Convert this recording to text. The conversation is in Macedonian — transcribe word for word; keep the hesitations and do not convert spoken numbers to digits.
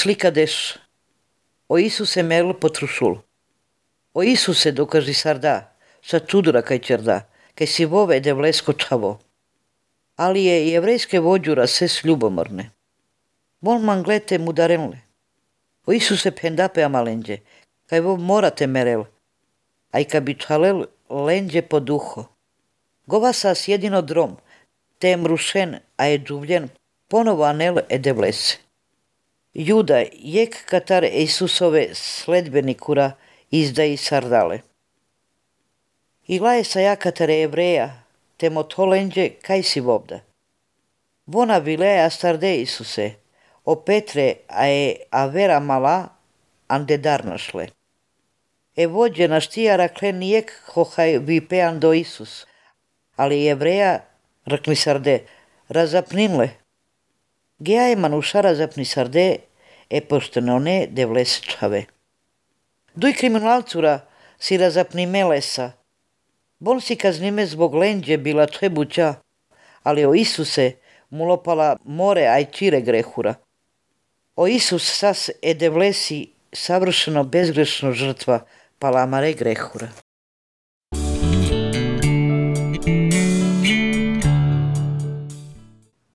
Сликадеш, о Исусе мел потрушул. О Исусе докажи сарда, са тудура кај черда, кај си вове девлеско чаво. Али е јеврејске воđура се слюбомрне. Бол манглете мударенле. О Исусе пендапе амаленđе, кај во морате мерел, ај каби чалел ленđе по духо. Гова сас једино дром, те е мрушен, а е джувљен, поново анел е девлесе. Јуда, јек катар Исусове следбеникура издаи сардале. Илае са јакатаре евреја, те мотоленđе кај си вовда. Вона вилеја старде Исусе, о Петре, а е авера мала, анде дарнашле. Е воđе на штија раклен јек хохај випеан до Исус, али евреја ракли сарде, разапнинле. Геа е мануша разапни сарде, е поштеноне девлес чаве. Дуј криминалцура си разапни мелеса. Бон си казниме због ленđе била требуќа, али о Исусе мулопала море ај чире грехура. О Исус сас е девлеси савршено безгрешно жртва, пала амаре грехура.